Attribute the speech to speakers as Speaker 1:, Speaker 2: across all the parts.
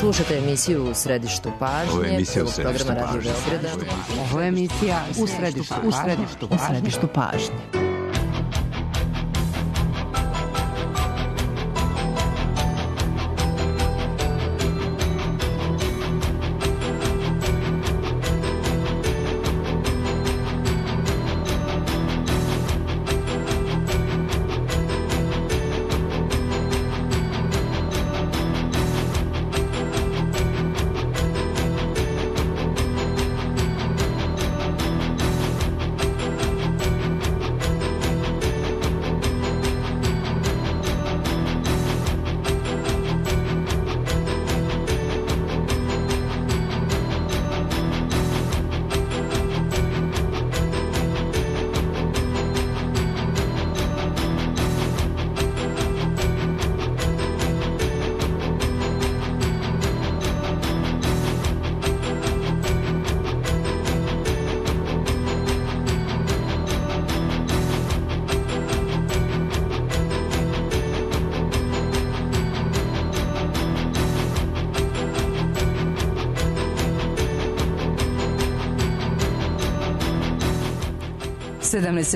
Speaker 1: Slušate emisiju U središtu pažnje.
Speaker 2: Ovo je emisija U središtu
Speaker 1: programa Radio
Speaker 2: pažnje.
Speaker 1: Beograda.
Speaker 3: Ovo je emisija U središtu pažnje.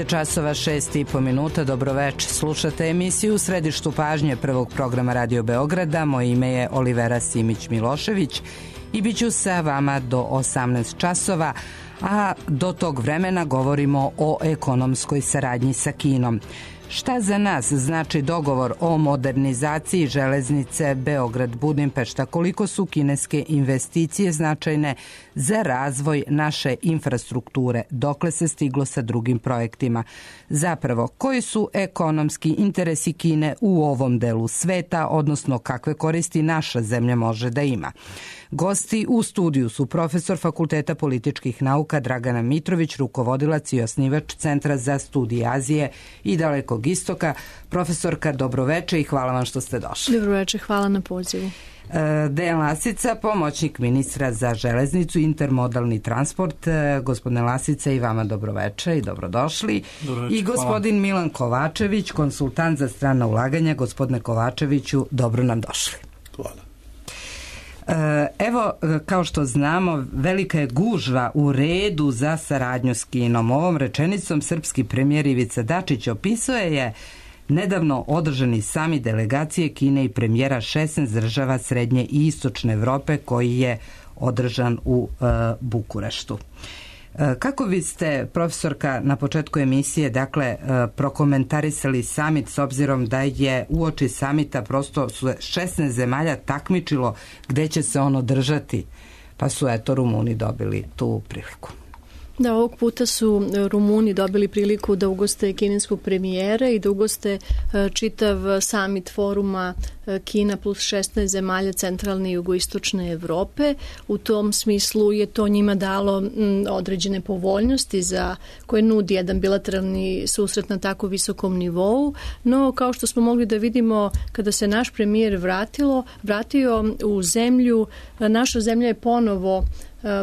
Speaker 3: Časova 6:30. Dobroveče. Slušate emisiju U središtu pažnje prvog programa Radio Beograda. Moje ime je Olivera Simić-Milošević i bit ću sa vama do 18 časova, a do tog vremena govorimo o ekonomskoj saradnji sa Kinom. Šta za nas znači dogovor o modernizaciji železnice Beograd-Budimpešta? Koliko su kineske investicije značajne za razvoj naše infrastrukture? Dokle se stiglo sa drugim projektima? Zapravo, koji su ekonomski interesi Kine u ovom delu sveta, odnosno kakve koristi naša zemlja može da ima? Gosti u studiju su profesor Fakulteta političkih nauka Dragana Mitrović, rukovodilac i osnivač Centra za studije Azije i Dalekog istoka. Profesorka, dobroveče i hvala vam što ste došli.
Speaker 4: Dobroveče, hvala na pozivu.
Speaker 3: Dejan Lasica, pomoćnik ministra za železnicu i intermodalni transport. Gospodine Lasica, i vama dobroveče i dobrodošli. I gospodin Milan Kovačević, konsultant za strana ulaganja. Gospodine Kovačeviću, dobro nam došli.
Speaker 2: Hvala.
Speaker 3: Evo, kao što znamo, velika je gužva u redu za saradnju s Kinom. Ovom rečenicom srpski premijer Ivica Dačić opisuje je nedavno održani samit delegacije Kine i premijera 16 država Srednje i Istočne Evrope koji je održan u Bukureštu. Kako biste, profesorka, na početku emisije, dakle, prokomentarisali samit s obzirom da je uoči samita prosto 16 zemalja takmičilo gde će se on održati, pa su eto Rumuni dobili tu priliku.
Speaker 4: Da, ovog puta su Rumuni dobili priliku da ugoste kineskog premijera i da ugoste čitav samit foruma Kina plus 16 zemalja centralne i jugoistočne Evrope. U tom smislu je to njima dalo određene povoljnosti za koje nudi jedan bilateralni susret na tako visokom nivou, no kao što smo mogli da vidimo kada se naš premijer vratio u zemlju, naša zemlja je ponovo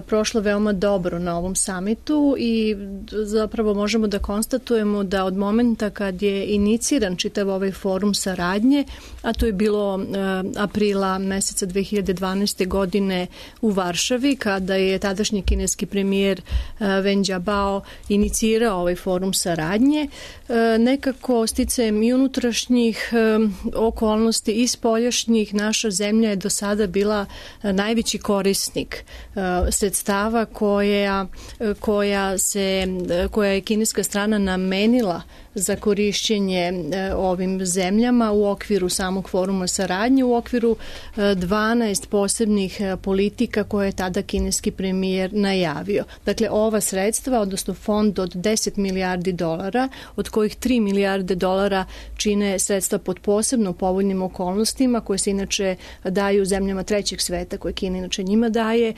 Speaker 4: prošla veoma dobro na ovom samitu i zapravo možemo da konstatujemo da od momenta kad je iniciran čitav ovaj forum saradnje, a to je bilo aprila meseca 2012. godine u Varšavi, kada je tadašnji kineski premijer Wen Jiabao inicirao ovaj forum saradnje, nekako sticajem i unutrašnjih okolnosti i spoljašnjih, naša zemlja je do sada bila najveći korisnik sredstava koja je kineska strana namenila za korišćenje ovim zemljama u okviru samog foruma saradnje, u okviru 12 posebnih politika koje je tada kineski premijer najavio. Dakle, ova sredstva, odnosno fond od 10 milijardi dolara, od kojih 3 milijarde dolara čine sredstva pod posebno povoljnim okolnostima koje se inače daju zemljama trećeg sveta, koje Kina inače njima daje.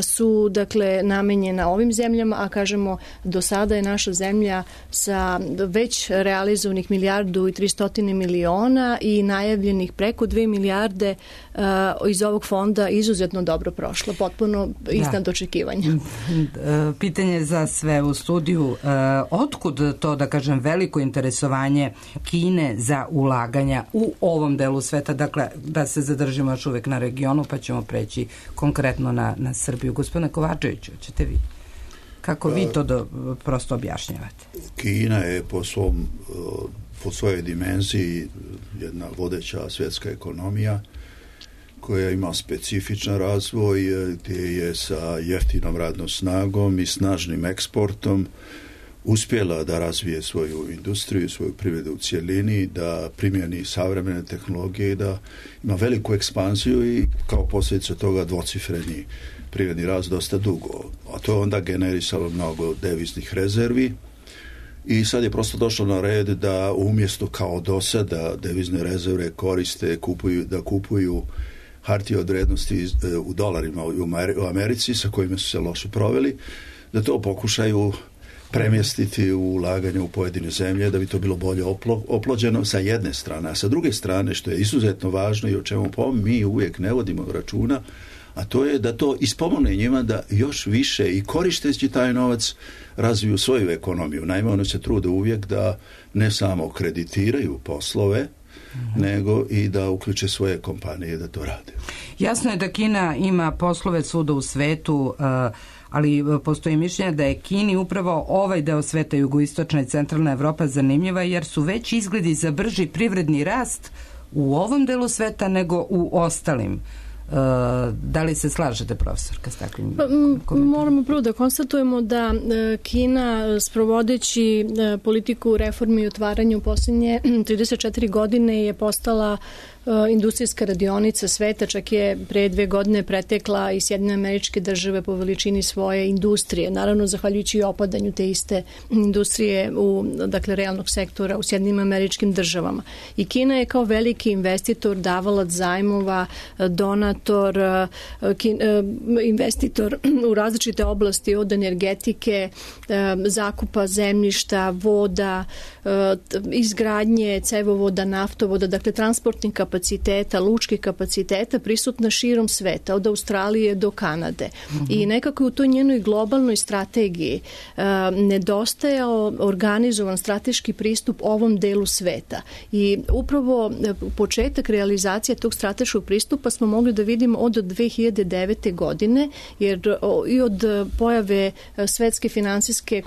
Speaker 4: su dakle namenjena ovim zemljama, a kažemo do sada je naša zemlja sa već realizovanih 1.300 miliona i najavljenih preko 2 milijarde iz ovog fonda izuzetno dobro prošlo, potpuno iznad očekivanja.
Speaker 3: Pitanje za sve u studiju, otkud to, da kažem, veliko interesovanje Kine za ulaganja u ovom delu sveta, dakle da se zadržimo još uvek na regionu pa ćemo preći konkretno na Srbiju. Gospodine Kovačeviću, ćete vi? Kako vi to prosto objašnjavate?
Speaker 2: Kina je po svojoj dimenziji jedna vodeća svjetska ekonomija koja ima specifičan razvoj, gdje je sa jeftinom radnom snagom i snažnim eksportom uspjela da razvije svoju industriju, svoju privredu u cjelini, da primjeni savremene tehnologije i da ima veliku ekspanziju i kao posljedica toga dvocifreni privredni rast dosta dugo. A to je onda generisalo mnogo deviznih rezervi i sad je prosto došlo na red da umjesto kao do sada devizne rezerve koriste, kupuju hartije od vrijednosti u dolarima u Americi sa kojima su se loše proveli, da to pokušaju premjestiti u ulaganje u pojedine zemlje, da bi to bilo bolje oplođeno sa jedne strane. A sa druge strane, što je izuzetno važno i o čemu mi uvijek ne vodimo računa, a to je da to ispomogne njima da još više i koristeći taj novac razviju svoju ekonomiju. Naime, one se trude uvijek da ne samo kreditiraju poslove, nego i da uključe svoje kompanije da to rade.
Speaker 3: Jasno je da Kina ima poslove svuda u svetu, ali postoji mišljenje da je Kini upravo ovaj deo sveta, jugoistočna i centralna Evropa, zanimljiva jer su već izgledi za brži privredni rast u ovom delu sveta nego u ostalim. Da li se slažete, profesorka, s takvim komentarom?
Speaker 4: Moramo prvo da konstatujemo da Kina, sprovodeći politiku reformi i otvaranja u posljednje 34 godine, je postala industrijska radionica sveta, čak je pre 2 godine pretekla i Sjedinjene Američke Države po veličini svoje industrije. Naravno, zahvaljujući i opadanju te iste industrije dakle, realnog sektora u Sjedinjenim Američkim Državama. I Kina je kao veliki investitor, davalac zajmova, donator, investitor u različite oblasti od energetike, zakupa zemljišta, voda, izgradnje cevovoda, naftovoda, dakle transportnih kapaciteta, lučkih kapaciteta prisutna širom sveta, od Australije do Kanade. I nekako u toj njenoj globalnoj strategiji nedostajao organizovan strateški pristup ovom delu sveta. I upravo početak realizacije tog strateškog pristupa smo mogli da vidimo od 2009. godine, jer i od pojave svetske finansijske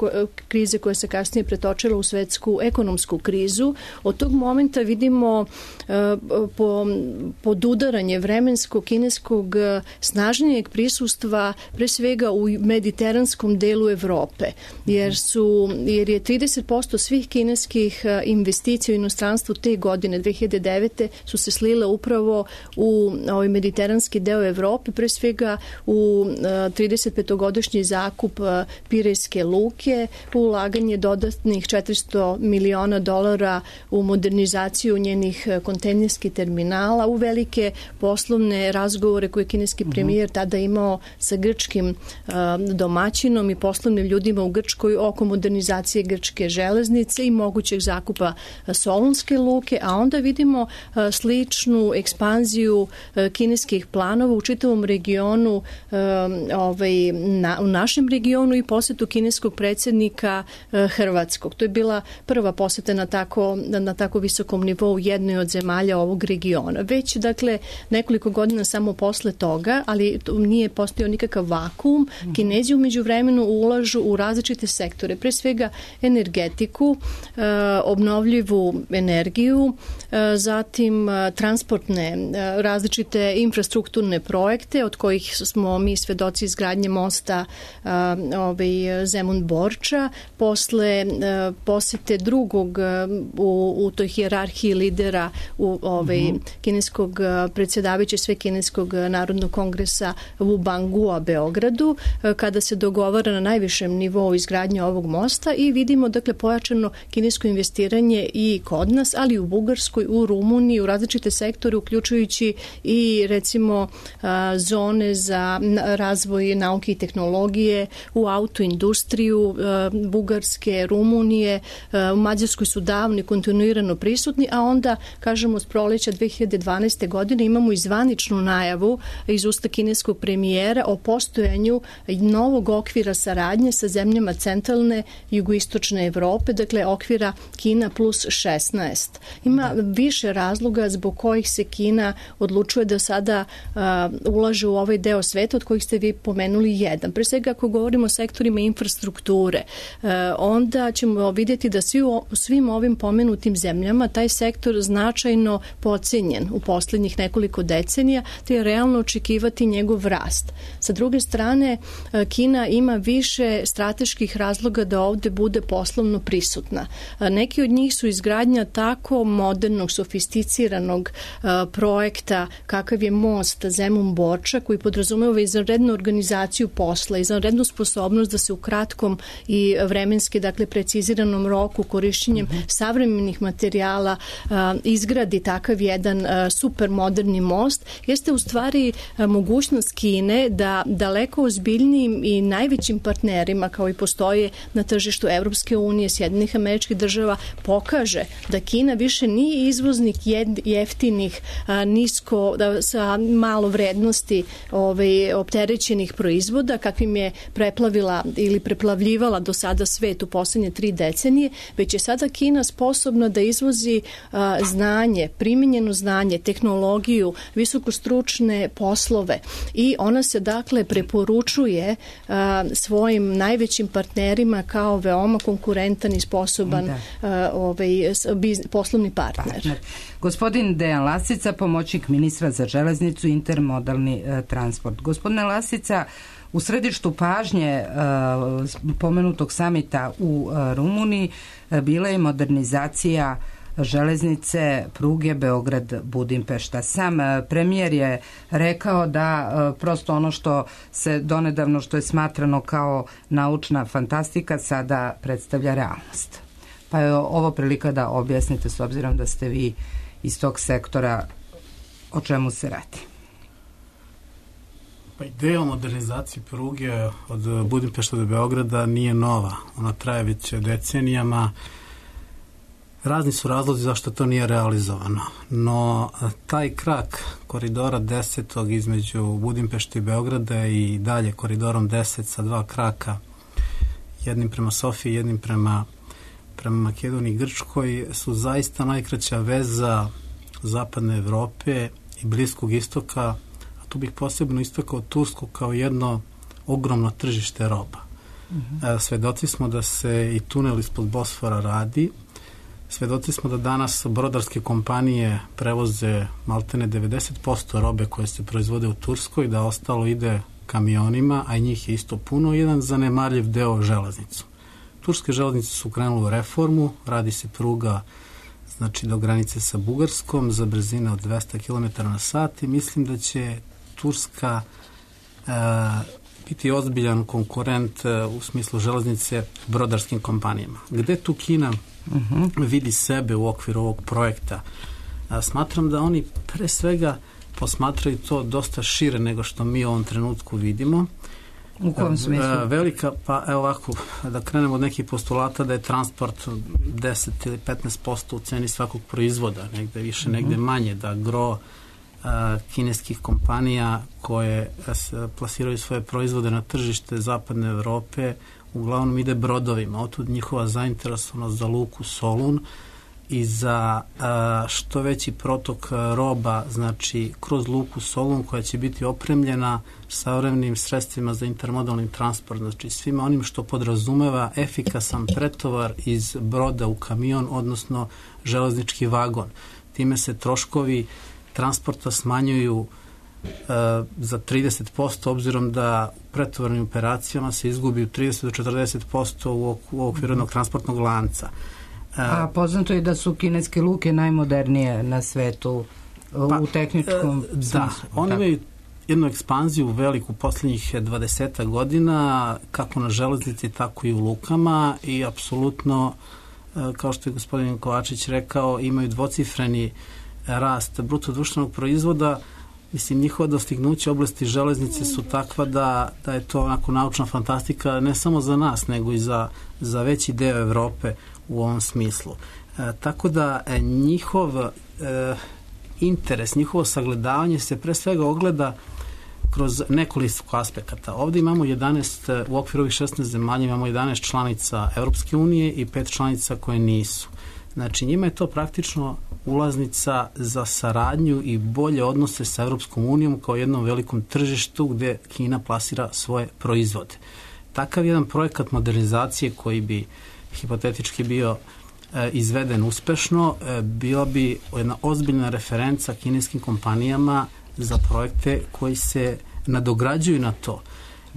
Speaker 4: krize koja se kasnije pretočila u svetsku ekonomsku krizu, od tog momenta vidimo podudaranje vremenskog kineskog snažnijeg prisustva pre svega u mediteranskom delu Evrope, jer je 30% svih kineskih investicija u inostranstvu te godine 2009. su se slile upravo u ovaj mediteranski deo Evrope, pre svega u 35-godišnji zakup Pirejske luke, u ulaganje dodatnih $400 miliona u modernizaciju njenih kontejnerskih terminala, u velike poslovne razgovore koje je kineski premijer tada imao sa grčkim domaćinom i poslovnim ljudima u Grčkoj oko modernizacije grčke železnice i mogućeg zakupa Solunske luke, a onda vidimo sličnu ekspanziju kineskih planova u čitavom regionu, u našem regionu i posjetu kineskog predsjednika Hrvatskog. To je bila prva posjeta na tako visokom nivou jednoj od zemalja ovog regiona. Već, dakle, nekoliko godina samo posle toga, ali nije postojao nikakav vakuum, Kinezi u međuvremenu ulažu u različite sektore, pre svega energetiku, obnovljivu energiju, zatim transportne, različite infrastrukturne projekte, od kojih smo mi svedoci izgradnje mosta Zemun-Borča, posle posete drugog u toj hijerarhiji lidera u kineskog predsjedavajućeg Svekineskog narodnog kongresa u Bangua, Beogradu, kada se dogovara na najvišem nivou izgradnje ovog mosta i vidimo dakle pojačano kinesko investiranje i kod nas, ali i u Bugarskoj, u Rumuniji, u različite sektore, uključujući i recimo zone za razvoj nauke i tehnologije, u autoindustriju Bugarske, Rumunije, u Mađarskoj su davno i kontinuirano prisutni, a onda, kažemo, od proleća 2012. godine imamo i zvaničnu najavu iz usta kineskog premijera o postojanju novog okvira saradnje sa zemljama centralne i jugoistočne Evrope, dakle okvira Kina plus 16. Ima više razloga zbog kojih se Kina odlučuje da sada ulaže u ovaj deo sveta, od kojih ste vi pomenuli jedan. Pre svega, ako govorimo o sektorima infrastrukture, onda ćemo vidjeti da u svim ovim pomenutim zemljama taj sektor značajno podcenjen u posljednjih nekoliko decenija, te je realno očekivati njegov rast. Sa druge strane, Kina ima više strateških razloga da ovde bude poslovno prisutna. Neki od njih su izgradnja tako modernog, sofisticiranog projekta kakav je most Zemun-Borča, koji podrazumeva izvanrednu organizaciju posla, izvanrednu sposobnost da se u kratkom i vremenski, dakle preciziranom roku korišćenjem savremenih materijala izgradi takav jedan super moderni most, jeste u stvari mogućnost Kine da daleko ozbiljnijim i najvećim partnerima, kao i postoje na tržištu Evropske unije, Sjedinjenih Američkih Država, pokaže da Kina više nije izvoznik jeftinih, nisko, sa malo vrednosti opterećenih proizvoda, kakvim je preplavila ili preplavljivala do sada svet u poslednje 3 decenije, već je sada Kina sposobna da izvozi znanje, primenjeno znanje, tehnologiju, visokostručne poslove i ona se dakle preporučuje svojim najvećim partnerima kao veoma konkurentan i sposoban poslovni partner.
Speaker 3: Gospodin Dejan Lasica, pomoćnik ministra za železnicu i intermodalni transport. Gospodine Lasica, u središtu pažnje pomenutog samita u Rumuniji bila je modernizacija železnice pruge Beograd-Budimpešta. Sam premijer je rekao da prosto ono što se donedavno, što je smatrano kao naučna fantastika, sada predstavlja realnost. Pa je ovo prilika da objasnite, s obzirom da ste vi iz tog sektora, o čemu se radi.
Speaker 5: Pa ideja o modernizaciji pruge od Budimpešta do Beograda nije nova. Ona traje već decenijama. Razni su razlozi zašto to nije realizovano. No, taj krak koridora 10. između Budimpešte i Beograda i dalje koridorom 10 sa 2 kraka, jednim prema Sofiji, jednim prema Makedoniji i Grčkoj, su zaista najkraća veza zapadne Evrope i Bliskog istoka, a tu bih posebno istakao Tursku kao jedno ogromno tržište roba. Svedoci smo da se i tunel ispod Bosfora radi, svedoci smo da danas brodarske kompanije prevoze maltene 90% robe koje se proizvode u Turskoj, da ostalo ide kamionima, a i njih je isto puno, jedan zanemarljiv deo železnicu. Turske železnice su krenule u reformu, radi se pruga znači do granice sa Bugarskom za brzine od 200 km na sat i mislim da će Turska biti ozbiljan konkurent u smislu železnice brodarskim kompanijama. Gde tu Kina vidi sebe u okviru ovog projekta? Smatram da oni pre svega posmatraju to dosta šire nego što mi u ovom trenutku vidimo.
Speaker 3: U kom smislu?
Speaker 5: Velika, pa evo ovako, da krenemo od nekih postulata da je transport 10 ili 15% u ceni svakog proizvoda, negde više, negde manje, da gro kineskih kompanija koje plasiraju svoje proizvode na tržište zapadne Evrope uglavnom ide brodovima, otud njihova zainteresovanost za luku Solun i za što veći protok roba, znači kroz luku Solun koja će biti opremljena savremenim sredstvima za intermodalni transport, znači svima onim što podrazumeva efikasan pretovar iz broda u kamion, odnosno železnički vagon. Time se troškovi transporta smanjuju za 30%, obzirom da u pretovarnim operacijama se izgubi 30 do 40% u okviru jednog transportnog lanca.
Speaker 3: A poznato je da su kineske luke najmodernije na svetu u tehničkom smislu.
Speaker 5: Da, oni imaju jednu ekspanziju veliku posljednjih 20 godina, kako na železnici, tako i u lukama i apsolutno, kao što je gospodin Kovačić rekao, imaju dvocifreni rast bruto društvenog proizvoda. Mislim, njihova dostignuća u oblasti železnice su takva da je to onako naučna fantastika ne samo za nas, nego i za veći deo Evrope u ovom smislu. Tako da njihov interes, njihovo sagledavanje se pre svega ogleda kroz nekoliko aspekata. Ovdje imamo 11, u okviru ovih 16 zemalja imamo 11 članica Evropske unije i 5 članica koje nisu. Znači, njima je to praktično ulaznica za saradnju i bolje odnose sa Evropskom unijom kao jednom velikom tržištu gdje Kina plasira svoje proizvode. Takav jedan projekat modernizacije koji bi hipotetički bio izveden uspešno, bila bi jedna ozbiljna referenca kineskim kompanijama za projekte koji se nadograđuju na to.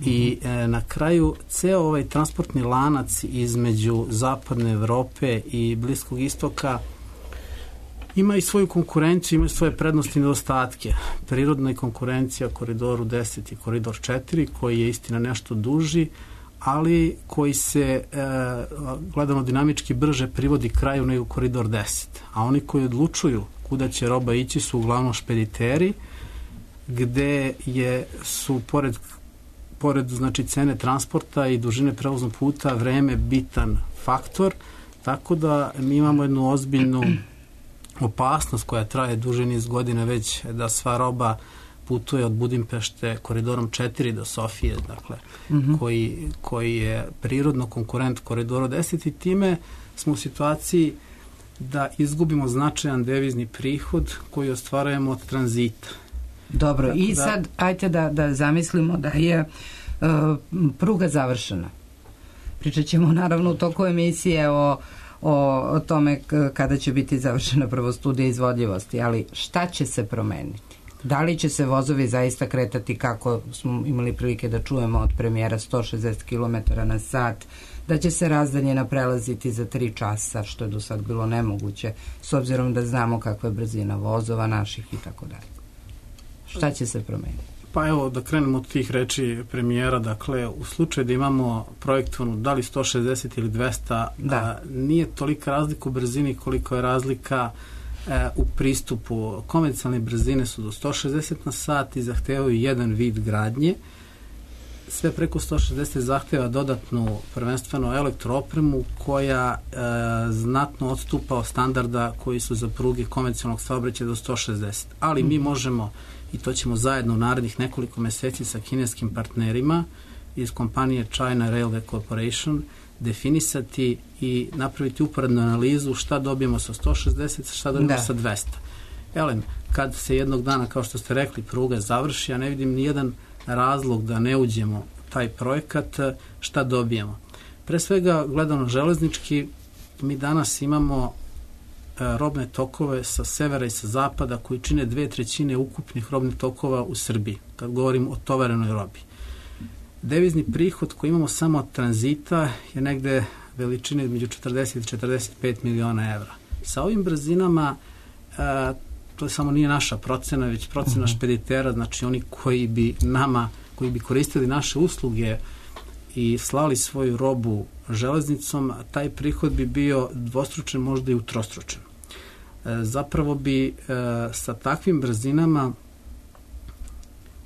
Speaker 5: I na kraju ceo ovaj transportni lanac između zapadne Evrope i Bliskog istoka ima i svoju konkurenciju, ima i svoje prednosti i nedostatke. Prirodna je konkurencija Koridoru 10 i Koridor 4, koji je istina nešto duži, ali koji se gledano dinamički brže privodi kraju nego Koridor 10. A oni koji odlučuju kuda će roba ići su uglavnom špediteri, gde su pored znači cene transporta i dužine prevoznog puta vreme bitan faktor, tako da mi imamo jednu ozbiljnu opasnost koja traje duže niz godina već da sva roba putuje od Budimpešte koridorom 4 do Sofije, dakle, koji je prirodno konkurent koridoru 10 i time smo u situaciji da izgubimo značajan devizni prihod koji ostvarujemo od tranzita.
Speaker 3: Dobro, i sad ajte da zamislimo da je pruga završena. Pričat ćemo naravno u toku emisije o tome kada će biti završena prvo studija izvodljivosti, ali šta će se promeniti? Da li će se vozovi zaista kretati kako smo imali prilike da čujemo od premijera 160 km na sat, da će se razdaljina prelaziti za 3 časa, što je do sad bilo nemoguće, s obzirom da znamo kakva je brzina vozova naših i tako dalje. Šta će se promeniti?
Speaker 5: Pa evo, da krenemo od tih reči premijera, dakle, u slučaju da imamo projektovanu da li 160 ili 200, nije tolika razlika u brzini koliko je razlika u pristupu. Konvencionalne brzine su do 160 na sat i zahtevaju jedan vid gradnje. Sve preko 160 zahteva dodatnu prvenstveno elektroopremu koja znatno odstupa od standarda koji su za pruge konvencionalnog saobraćaja do 160. Ali mi možemo, i to ćemo zajedno u narednih nekoliko meseci sa kineskim partnerima iz kompanije China Railway Corporation definisati i napraviti uporednu analizu šta dobijemo sa 160, šta dobijemo sa 200. Elem, kad se jednog dana, kao što ste rekli, pruga završi, ja ne vidim nijedan razlog da ne uđemo taj projekat, šta dobijemo. Pre svega, gledano železnički, mi danas imamo robne tokove sa severa i sa zapada koji čine 2/3 ukupnih robnih tokova u Srbiji, kad govorim o tovarenoj robi. Devizni prihod koji imamo samo od tranzita je negde veličine između 40 i 45 miliona evra. Sa ovim brzinama, to samo nije naša procena, već procena špeditera, znači oni koji bi koristili naše usluge i slali svoju robu železnicom, taj prihod bi bio dvostručen, možda i utrostručen. Zapravo bi sa takvim brzinama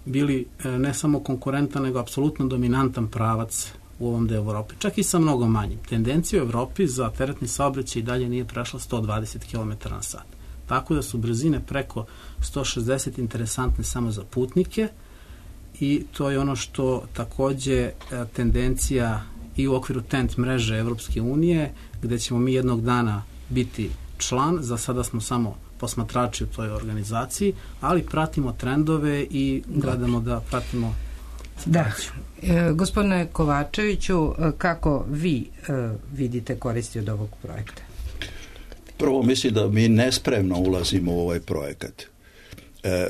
Speaker 5: bili ne samo konkurentan, nego apsolutno dominantan pravac u ovom delu Evrope. Čak i sa mnogo manjim. Tendencija u Evropi za teretni saobraćaj i dalje nije prešla 120 km na sat. Tako da su brzine preko 160 interesantne samo za putnike i to je ono što takođe tendencija i u okviru TENT mreže Evropske unije, gde ćemo mi jednog dana biti član, za sada smo samo posmatrači u toj organizaciji, ali pratimo trendove i gledamo da pratimo situaciju.
Speaker 3: Gospodine Kovačeviću, kako vi vidite koristi od ovog projekta?
Speaker 2: Prvo, mislim da mi nespremno ulazimo u ovaj projekat.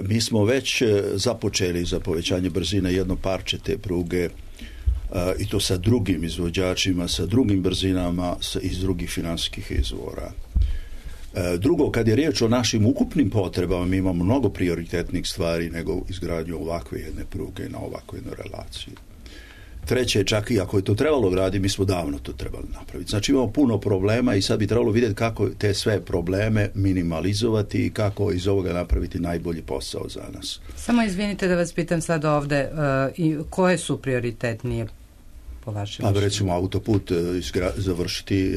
Speaker 2: Mi smo već započeli za povećanje brzine jedno parče te pruge i to sa drugim izvođačima, sa drugim brzinama iz drugih finansijskih izvora. Drugo, kad je riječ o našim ukupnim potrebama, mi imamo mnogo prioritetnih stvari nego izgradnju ovakve jedne pruge na ovakvu jednu relaciju. Treće, čak i ako je to trebalo graditi, mi smo davno to trebali napraviti. Znači imamo puno problema i sad bi trebalo vidjeti kako te sve probleme minimalizovati i kako iz ovoga napraviti najbolji posao za nas.
Speaker 3: Samo izvinite da vas pitam sad ovde, koje su prioritetnije po vašem mišljenju?
Speaker 2: Pa recimo autoput završiti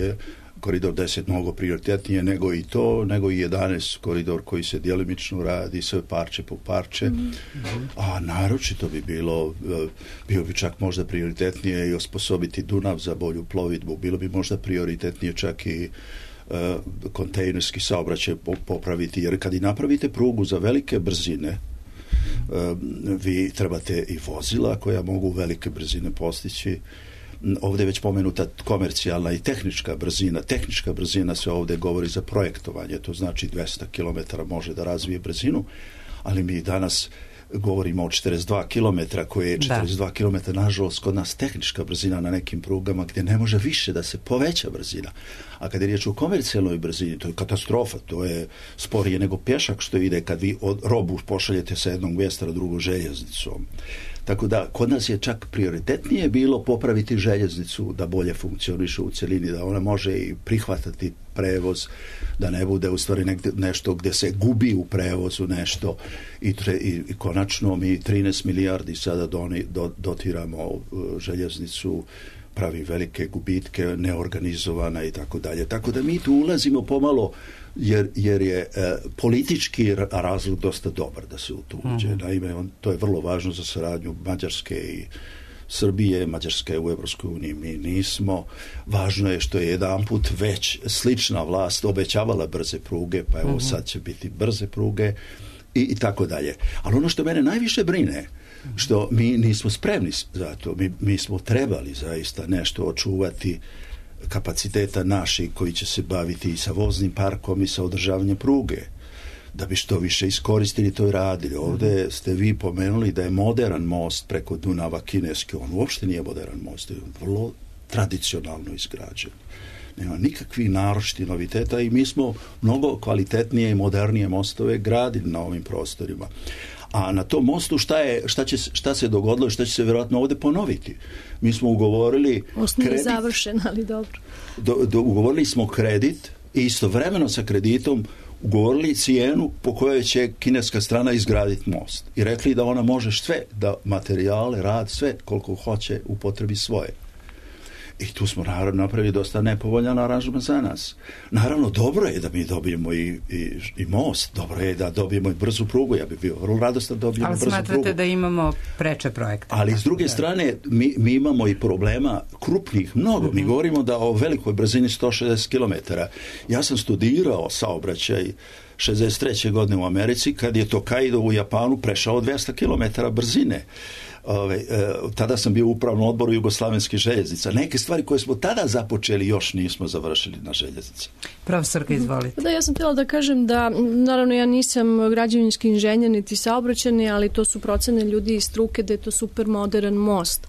Speaker 2: koridor 10 mnogo prioritetnije nego i to, nego i 11 koridor koji se djelimično radi, sve parče po parče. A naročito bi bio bi čak možda prioritetnije i osposobiti Dunav za bolju plovidbu. Bilo bi možda prioritetnije čak i kontejnerski saobraćaj popraviti, jer kad i napravite prugu za velike brzine, vi trebate i vozila koja mogu velike brzine postići. Ovdje je već pomenuta komercijalna i tehnička brzina. Tehnička brzina se ovdje govori za projektovanje, to znači 200 km može da razvije brzinu, ali mi danas govorimo o 42 km, koje je 42 km, nažalost, kod nas tehnička brzina na nekim prugama gdje ne može više da se poveća brzina. A kad je riječ o komercijalnoj brzini, to je katastrofa, to je sporije nego pješak što ide kad vi robu pošaljete sa jednog mjesta na drugu željeznicom. Tako da, kod nas je čak prioritetnije bilo popraviti željeznicu da bolje funkcioniše u cjelini, da ona može i prihvatati prevoz, da ne bude u stvari nešto gdje se gubi u prevozu nešto i konačno mi 13 milijardi sada dotiramo željeznicu, pravi velike gubitke, neorganizovana i tako dalje. Tako da mi tu ulazimo pomalo jer je politički razlog dosta dobar da se u to uđe. Naime, to je vrlo važno za saradnju Mađarske i Srbije. Mađarska je u Evropskoj uniji, mi nismo. Važno je što je jedanput već slična vlast obećavala brze pruge, pa evo sad će biti brze pruge i tako dalje. Ali ono što mene najviše brine, što mi nismo spremni za to. Mi smo trebali zaista nešto očuvati kapaciteta naših koji će se baviti i sa voznim parkom i sa održavanjem pruge, da bi što više iskoristili to i radili. Ovdje ste vi pomenuli da je modern most preko Dunava kineski, on uopšte nije modern most, je vrlo tradicionalno izgrađen. Nema nikakvih naročitih noviteta i mi smo mnogo kvalitetnije i modernije mostove gradili na ovim prostorima. A na tom mostu šta se dogodilo i šta će se vjerojatno ovdje ponoviti? Mi smo ugovorili
Speaker 4: kredit. Je završen, ali dobro.
Speaker 2: Ugovorili smo kredit i istovremeno sa kreditom ugovorili cijenu po kojoj će kineska strana izgraditi most. I rekli da ona može sve, da materijale, rad, sve koliko hoće upotrebi svoje. I tu smo naravno napravili dosta nepovoljan aranžman za nas. Naravno, dobro je da mi dobijemo i most, dobro je da dobijemo i brzu prugu, ja bih bio vrlo radostan da dobijemo brzu prugu.
Speaker 3: Ali smatrate da imamo preče projekte?
Speaker 2: Ali s druge strane, mi imamo i problema krupnih mnogo. Mi govorimo da o velikoj brzini 160 km. Ja sam studirao saobraćaj 63. godine u Americi, kad je Tokaido u Japanu prešao 200 km brzine. Tada sam bio u upravnom odboru Jugoslavenskih željeznica. Neke stvari koje smo tada započeli još nismo završili na željeznici.
Speaker 3: Profesorka, izvolite.
Speaker 4: Da, ja sam htjela da kažem da, naravno, ja nisam građevinski inženjer niti saobraćajni, ali to su procene ljudi iz struke da je to super modern most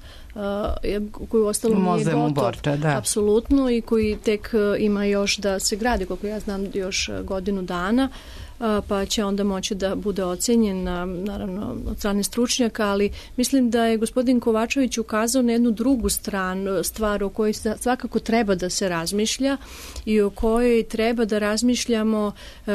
Speaker 4: koji u ostalom nije gotov, apsolutno, i koji tek ima još da se gradi, koliko ja znam, još godinu dana, pa će onda moći da bude ocenjen, naravno, od strane stručnjaka, ali mislim da je gospodin Kovačević ukazao na jednu drugu stvar o kojoj svakako treba da se razmišlja i o kojoj treba da razmišljamo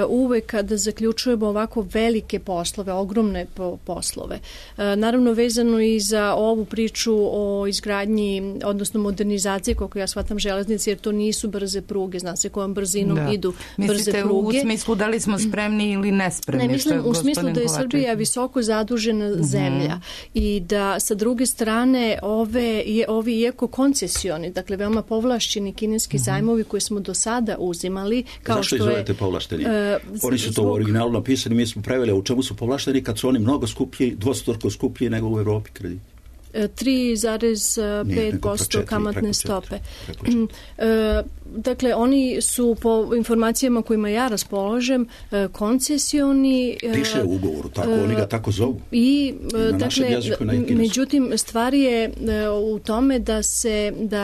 Speaker 4: uvek kada zaključujemo ovako velike poslove, ogromne poslove. Naravno, vezano i za ovu priču o izgradnji, odnosno modernizaciji, koliko ja shvatam, železnice, jer to nisu brze pruge, zna se kojom brzinom idu brze
Speaker 3: Mislite
Speaker 4: pruge.
Speaker 3: U smislu da li smo spremni ili nespremni?
Speaker 4: Ne, mislim u smislu da je Srbija visoko zadužena zemlja i da sa druge strane ovi iako koncesioni, dakle veoma povlašćeni kineski zajmovi koje smo do sada uzimali, kao
Speaker 2: zašto
Speaker 4: što
Speaker 2: izvolite povlašteni? Oni su to u originalu napisani, mi smo preveli, u čemu su povlašteni kad su oni mnogo skuplji, dvostruko skuplji nego u Evropi krediti.
Speaker 4: 3,5% kamatne stope. Dakle, oni su po informacijama kojima ja raspolažem koncesioni.
Speaker 2: Piše u ugovoru, tako, oni ga tako zovu.
Speaker 4: I, dakle, međutim, stvar je u tome da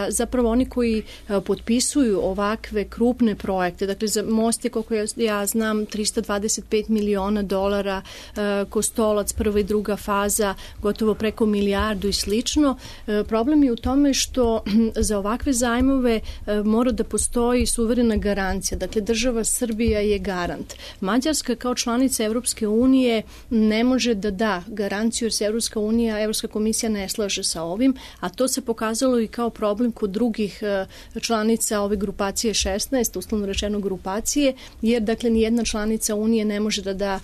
Speaker 4: zapravo oni koji potpisuju ovakve krupne projekte, dakle, za most je, koliko ja znam, $325 miliona, Kostolac, prva i druga faza, gotovo preko milijardu i slično. Problem je u tome što za ovakve zajmove mora da postoji suverena garancija. Dakle, država Srbija je garant. Mađarska kao članica Evropske unije ne može da da garanciju jer se Evropska komisija ne slaže sa ovim, a to se pokazalo i kao problem kod drugih članica ove grupacije 16, uslovno rečeno grupacije, jer dakle nijedna članica Unije ne može da da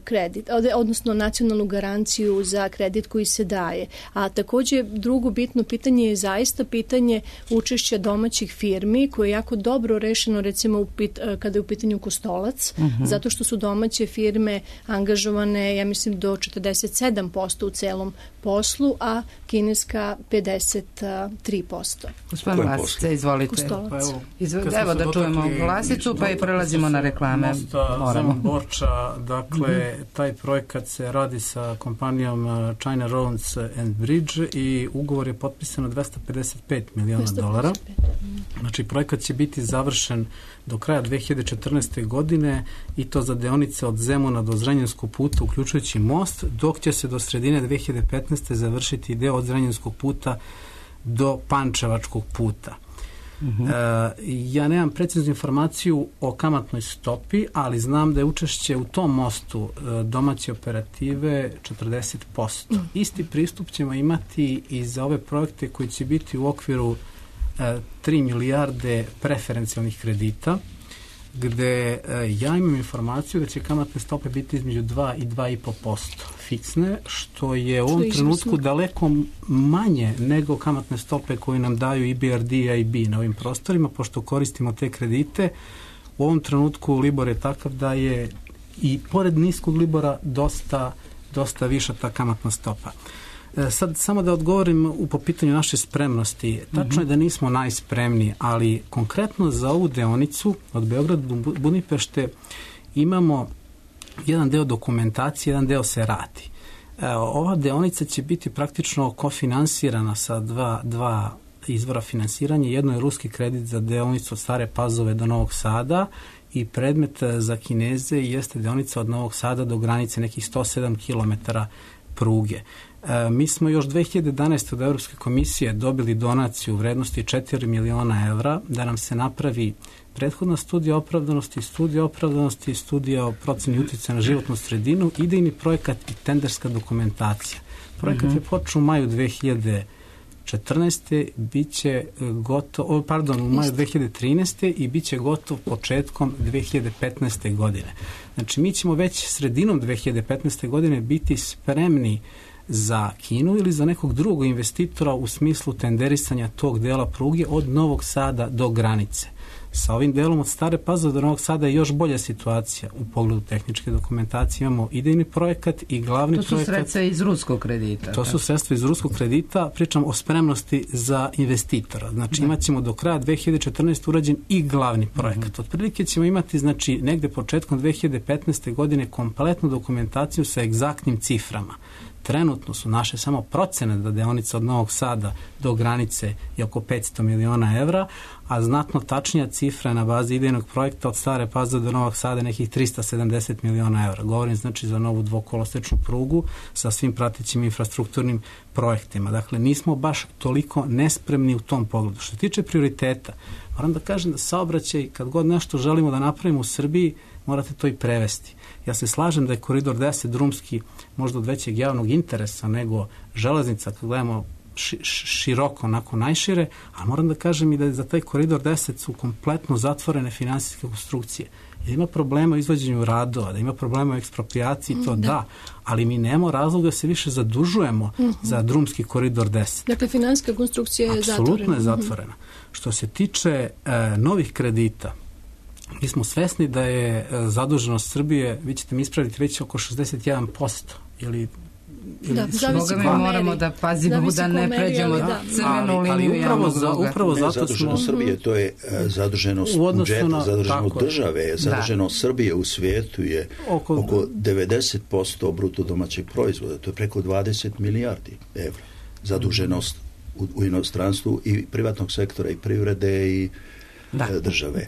Speaker 4: kredit, odnosno nacionalnu garanciju za kredit koji se daje. A takođe drugo bitno pitanje je zaista pitanje učešća domaćih firmi koje je jako dobro rešeno recimo kada je u pitanju Kostolac, zato što su domaće firme angažovane, ja mislim, do 47% u celom poslu, a kineska 53%.
Speaker 3: Gospodin Vlasica, izvolite.
Speaker 4: Kostolac.
Speaker 3: Evo da čujemo Vlasicu, pa i prelazimo na reklame.
Speaker 5: Moramo. Borča, dakle, taj projekat se radi sa kompanijom China Roads and Bridge i ugovor je potpisano $255 miliona. Znači, projekat će biti završen do kraja 2014. godine i to za deonice od Zemuna do Zrenjanskog puta, uključujući most, dok će se do sredine 2015. završiti deo od Zrenjanskog puta do Pančevačkog puta. Ja nemam preciznu informaciju o kamatnoj stopi, ali znam da je učešće u tom mostu domaće operative 40%. Isti pristup ćemo imati i za ove projekte koji će biti u okviru 3 milijarde preferencijalnih kredita, gde ja imam informaciju da će kamatne stope biti između 2 i 2,5% fiksne, što je u ovom trenutku daleko manje nego kamatne stope koje nam daju EBRD i IB na ovim prostorima, pošto koristimo te kredite. U ovom trenutku Libor je takav da je i pored niskog Libora dosta viša ta kamatna stopa. Sad samo da odgovorim po pitanju naše spremnosti. Tačno je da nismo najspremniji, ali konkretno za ovu deonicu od Beograda do Budimpešte imamo jedan deo dokumentacije, jedan deo se radi. Ova deonica će biti praktično kofinansirana sa dva izvora finansiranja. Jedno je ruski kredit za deonicu od Stare Pazove do Novog Sada i predmet za Kineze jeste deonica od Novog Sada do granice nekih 107 km pruge. Mi smo još 2011. od Evropske komisije dobili donaciju u vrednosti 4 miliona evra da nam se napravi prethodna studija opravdanosti, studija o proceni uticaja na životnu sredinu, idejni projekat i tenderska dokumentacija. Projekat je počeo u maju 2014. biće gotov, u maju 2013. i biće gotov početkom 2015. godine. Znači, mi ćemo već sredinom 2015. godine biti spremni za Kinu ili za nekog drugog investitora u smislu tenderisanja tog dela pruge od Novog Sada do granice. Sa ovim delom od Stare Pazove do Novog Sada je još bolja situacija u pogledu tehničke dokumentacije. Imamo idejni projekat i glavni projekat.
Speaker 3: To su sredstva iz ruskog kredita.
Speaker 5: To su sredstva iz ruskog kredita. Pričam o spremnosti za investitora. Znači imat ćemo do kraja 2014. urađen i glavni projekat. Otprilike ćemo imati, znači, negde početkom 2015. godine kompletnu dokumentaciju sa egzaktnim ciframa. Trenutno su naše samo procene da deonica od Novog Sada do granice je oko 500 miliona evra, a znatno tačnija cifra na bazi idejnog projekta od Stare Pazove do Novog Sada nekih 370 miliona evra. Govorim znači za novu dvokolosečnu prugu sa svim pratećim infrastrukturnim projektima. Dakle, nismo baš toliko nespremni u tom pogledu. Što se tiče prioriteta, moram da kažem da saobraćaj, kad god nešto želimo da napravimo u Srbiji, morate to i prevesti. Ja se slažem da je koridor 10 drumski možda od većeg javnog interesa nego železnica, kad gledamo široko, onako najšire, a moram da kažem i da za taj koridor 10 su kompletno zatvorene finansijske konstrukcije. Da ima problema u izvođenju radova, da ima problema u eksproprijaciji, to da, ali mi nemamo razloga da se više zadužujemo za drumski koridor 10.
Speaker 4: Dakle, finansijska konstrukcija je zatvorena.
Speaker 5: Apsolutno je zatvorena. Što se tiče novih kredita, mi smo svesni da je zaduženost Srbije, vi ćete mi ispraviti, već oko 61%, ili
Speaker 4: zavisi
Speaker 3: mi moramo da pazimo da ne pređemo crvenu liniju javnog duga.
Speaker 5: Upravo zato
Speaker 2: zaduženost Srbije, to je zaduženost budžeta, zaduženost države, zaduženost Srbije u svijetu je oko 90% bruto domaćeg proizvoda, to je preko 20 milijardi evra. Zaduženost u inostranstvu i privatnog sektora i privrede i države.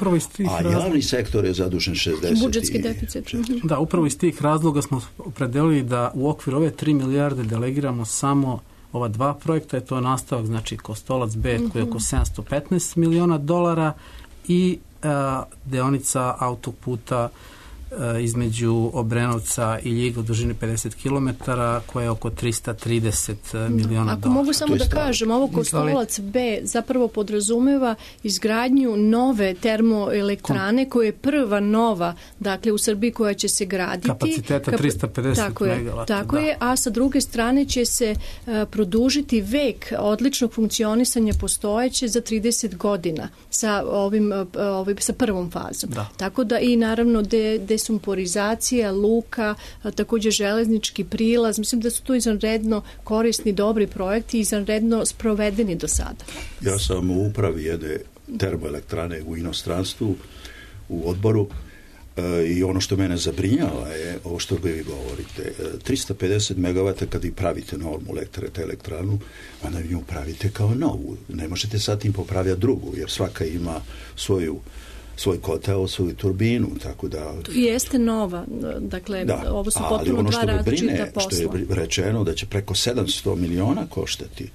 Speaker 2: A javni sektor je zadužen 60.
Speaker 4: Budžetski deficit.
Speaker 5: Da, upravo iz tih razloga smo opredelili da u okviru ove 3 milijarde delegiramo samo ova 2 projekta, je to nastavak, znači Kostolac B koji je oko 715 miliona dolara i deonica autoputa između Obrenovca i Ljiga u dužini 50 km koja je oko 330 miliona dolara.
Speaker 4: Ako mogu samo da kažem, ovo Kostolac B zapravo podrazumeva izgradnju nove termoelektrane koja je prva nova, dakle u Srbiji koja će se graditi.
Speaker 5: Kapaciteta 350 megavata.
Speaker 4: Tako je, a sa druge strane će se produžiti vek odličnog funkcionisanja postojeće za 30 godina sa sa prvom fazom. Tako da i naravno desumporizacija, luka, također železnički prilaz. Mislim da su to izvanredno korisni, dobri projekti i izvanredno sprovedeni do sada.
Speaker 2: Ja sam u upravi jedne termoelektrane u inostranstvu, u odboru, i ono što mene zabrinjava je ovo što vi govorite. 350 megavata kad vi pravite normu elektranu, onda vi nju pravite kao novu. Ne možete sad tim popravljati drugu, jer svaka ima svoj kotel, svoju turbinu, tako da...
Speaker 4: To jeste nova, dakle, ovo su potpuno dva različita posla.
Speaker 2: Što je rečeno da će preko 700 miliona koštati.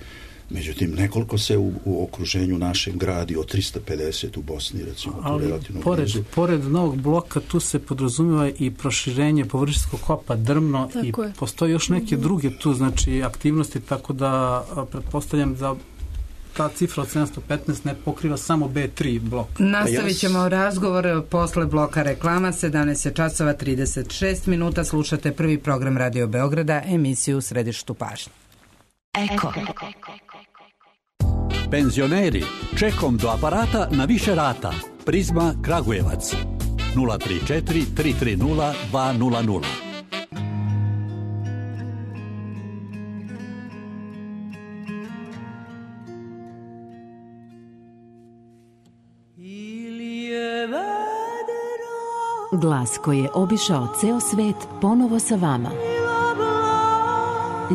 Speaker 2: Međutim, nekoliko se u okruženju našem gradi od 350 u Bosni, recimo, to relativno blizu.
Speaker 5: Pored novog bloka tu se podrazumijeva i proširenje površinskog kopa Drmno i postoje još neke druge tu, znači, aktivnosti, tako da pretpostavljam da ta cifra od 715 ne pokriva samo B3 blok.
Speaker 3: Nastavit ćemo razgovor posle bloka reklama. 17 časova 36 minuta. Slušate prvi program Radio Beograda, emisiju u središtu pažnje.
Speaker 6: Eko. Penzioneri, čekom do aparata na više rata. Prizma Kragujevac 034 330 200.
Speaker 7: Glas koji je obišao ceo svet ponovo sa vama.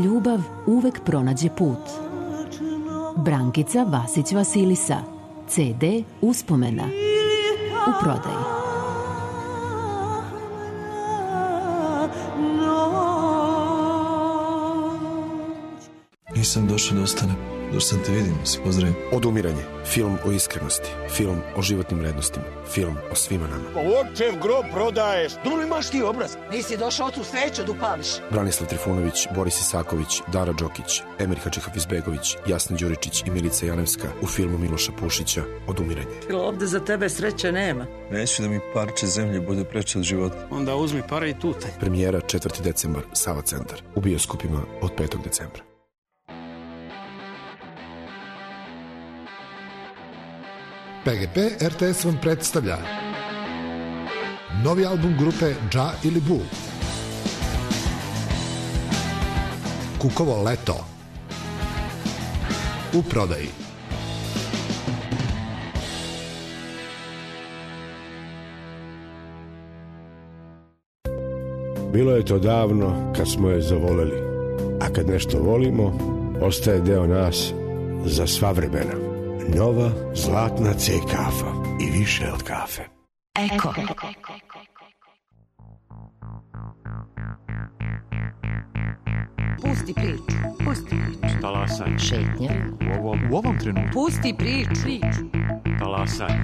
Speaker 7: Ljubav uvek pronađe put. Brankica Vasić Vasilisa. CD Uspomena. U prodaji.
Speaker 8: Nisam došao da ostanem. Došao sam te vidim, se pozdravim.
Speaker 9: Odumiranje. Film o iskrenosti. Film o životnim vrednostima. Film o svima nama.
Speaker 10: Očev grob prodaješ.
Speaker 11: Dole imaš ti obraz. Nisi došao tu sveću da upališ.
Speaker 9: Branislav Trifunović, Boris Isaković, Dara Đokić, Emir Hadžihafizbegović, Jasna Đuričić i Milica Janevska u filmu Miloša Pušića Odumiranje.
Speaker 11: Ovde za tebe sreće nema.
Speaker 8: Neću da mi parče zemlje bude preče od života.
Speaker 5: Onda uzmi pare i tutaj.
Speaker 9: Premijera 4. decembar, Sava centar. U bioskopima od 5. decembra.
Speaker 12: PGP RTS vam predstavlja novi album grupe Dža ili Bu. Kukovo leto. U prodaji.
Speaker 13: Bilo je to davno kad smo je zavoleli, a kad nešto volimo, ostaje deo nas za sva vremena. Nova zlatna C kafa i više od kafe.
Speaker 6: Eko.
Speaker 1: Pusti priču. Pusti priču.
Speaker 14: Talasaj.
Speaker 1: Šetnja.
Speaker 14: U ovom trenutku.
Speaker 1: Pusti priču.
Speaker 14: Talasaj.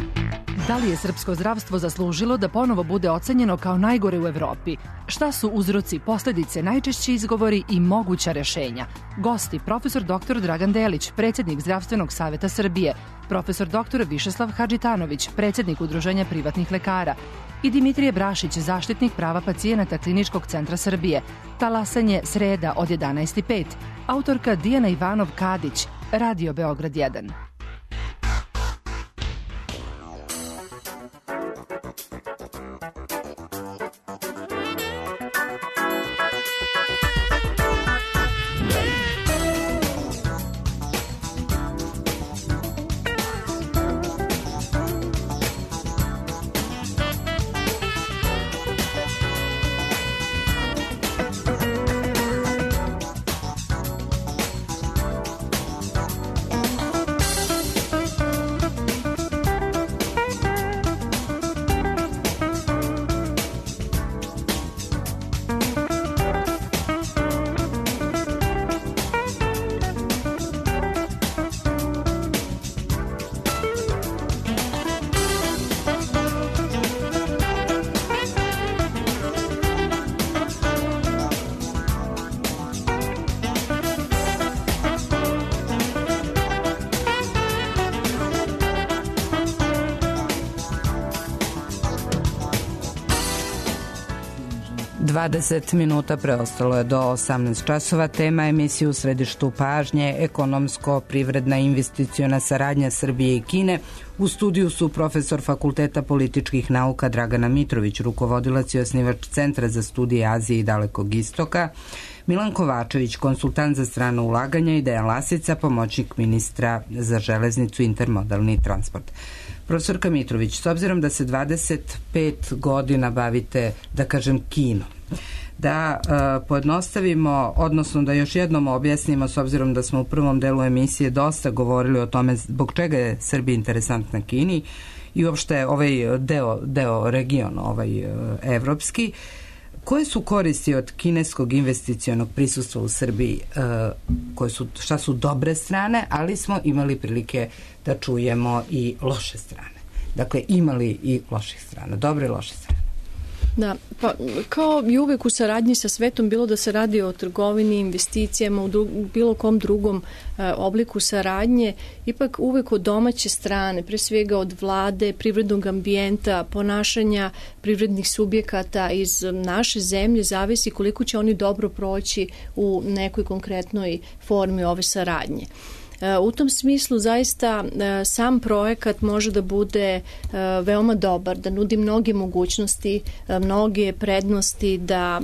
Speaker 15: Da li je srpsko zdravstvo zaslužilo da ponovo bude ocenjeno kao najgore u Evropi? Šta su uzroci, posledice, najčešći izgovori i moguća rešenja? Gosti, profesor dr. Dragan Delić, predsjednik Zdravstvenog saveta Srbije, profesor dr. Višeslav Hadžitanović, predsjednik Udruženja privatnih lekara i Dimitrije Brašić, zaštitnik prava pacijenata Kliničkog centra Srbije. Talasanje sreda od 11:05. Autorka Dijana Ivanov-Kadić, Radio Beograd 1.
Speaker 3: 20 minuta preostalo je do 18 časova. Tema emisije u središtu pažnje, ekonomsko-privredna investiciona saradnja Srbije i Kine. U studiju su profesor Fakulteta političkih nauka Dragana Mitrović, rukovodilac i osnivač Centra za studije Azije i Dalekog istoka, Milan Kovačević, konsultant za strano ulaganja, i Dejan Lasica, pomoćnik ministra za železnicu i intermodalni transport. Profesorka Mitrović, s obzirom da se 25 godina bavite, da kažem, Kinom, da pojednostavimo, odnosno da još jednom objasnimo, s obzirom da smo u prvom delu emisije dosta govorili o tome zbog čega je Srbija interesantna Kini i uopšte ovaj deo regiona, evropski, koje su koristi od kineskog investicionog prisustva u Srbiji, šta su dobre strane, ali smo imali prilike da čujemo i loše strane. Dakle, imali i loših strana, dobre i loše strane.
Speaker 4: Da, pa kao i uvek u saradnji sa svetom, bilo da se radi o trgovini, investicijama, u bilo kom drugom obliku saradnje, ipak uvek od domaće strane, pre svega od vlade, privrednog ambijenta, ponašanja privrednih subjekata iz naše zemlje zavisi koliko će oni dobro proći u nekoj konkretnoj formi ove saradnje. U tom smislu zaista sam projekat može da bude veoma dobar, da nudi mnoge mogućnosti, mnoge prednosti, da